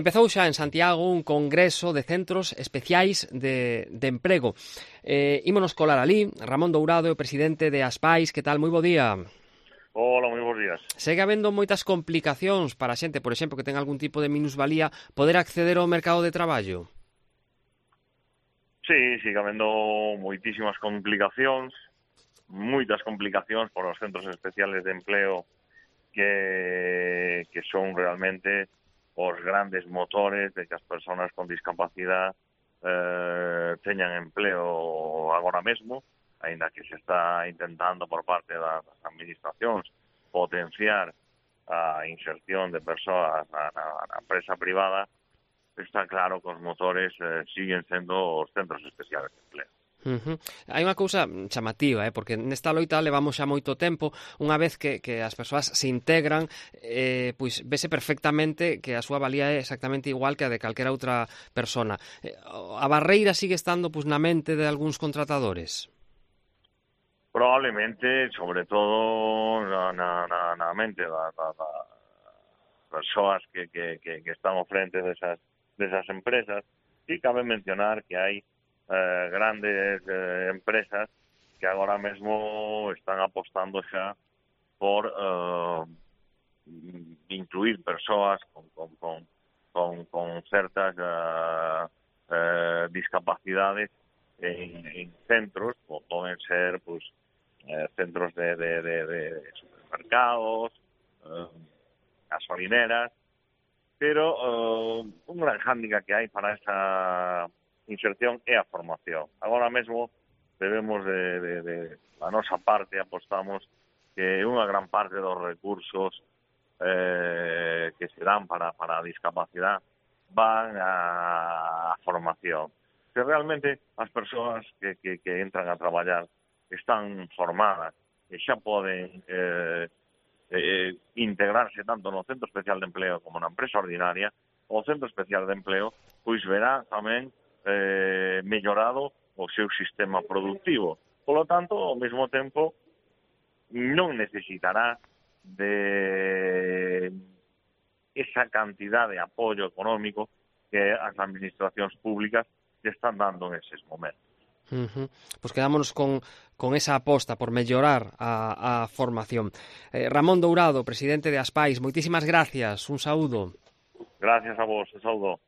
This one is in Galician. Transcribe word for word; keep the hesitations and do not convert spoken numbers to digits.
Empezou xa en Santiago un congreso de centros especiais de, de emprego. Eh, ímonos colar ali. Ramón Dourado, o presidente de Aspais. Que tal? Moi bo día. Hola, moi bons días. Segue habendo moitas complicacións para a xente, por exemplo, que ten algún tipo de minusvalía, poder acceder ao mercado de traballo? Sí, sigue habendo moitísimas complicacións, moitas complicacións por os centros especiales de empleo que, que son realmente os grandes motores de que as persoas con discapacidade eh, teñan empleo agora mesmo, aínda que se está intentando por parte das administracións potenciar a inserción de persoas na, na, na empresa privada. Está claro que os motores eh, siguen sendo os centros especiales de empleo. Uh-huh. Hai unha cousa chamativa, eh? Porque nesta loita levamos xa moito tempo. Unha vez que, que as persoas se integran, eh, pois vese perfectamente que a súa valía é exactamente igual que a de calquera outra persona. Eh, a barreira sigue estando pois, na mente de algúns contratadores? Probablemente, sobre todo na, na, na, na mente das da, da persoas que, que, que, que están ao frente desas, desas empresas. E cabe mencionar que hai Eh, grandes eh, empresas que agora mesmo están apostando xa por eh, incluir persoas con, con, con, con, con certas eh, eh, discapacidades en, en centros, como poden ser pues, eh, centros de, de, de, de supermercados, eh, gasolineras, pero eh, un gran hándicap que hai para esa inserción é a formación. Agora mesmo debemos de, de, de a nosa parte apostamos que unha gran parte dos recursos eh, que se dan para, para a discapacidade van a, a formación. Que realmente as persoas que, que, que entran a traballar están formadas e xa poden eh, eh, integrarse tanto no Centro Especial de Empleo como na empresa ordinaria. O Centro Especial de Empleo pois verá tamén Eh, mellorado o seu sistema productivo. Por lo tanto, ao mesmo tempo, non necesitará de esa cantidad de apoio económico que as administracións públicas que están dando en eses momentos. Uh-huh. Pois quedámonos con, con esa aposta por mellorar a, a formación. Eh, Ramón Dourado, presidente de Aspais, moitísimas gracias, un saúdo. Gracias a vos, un saúdo.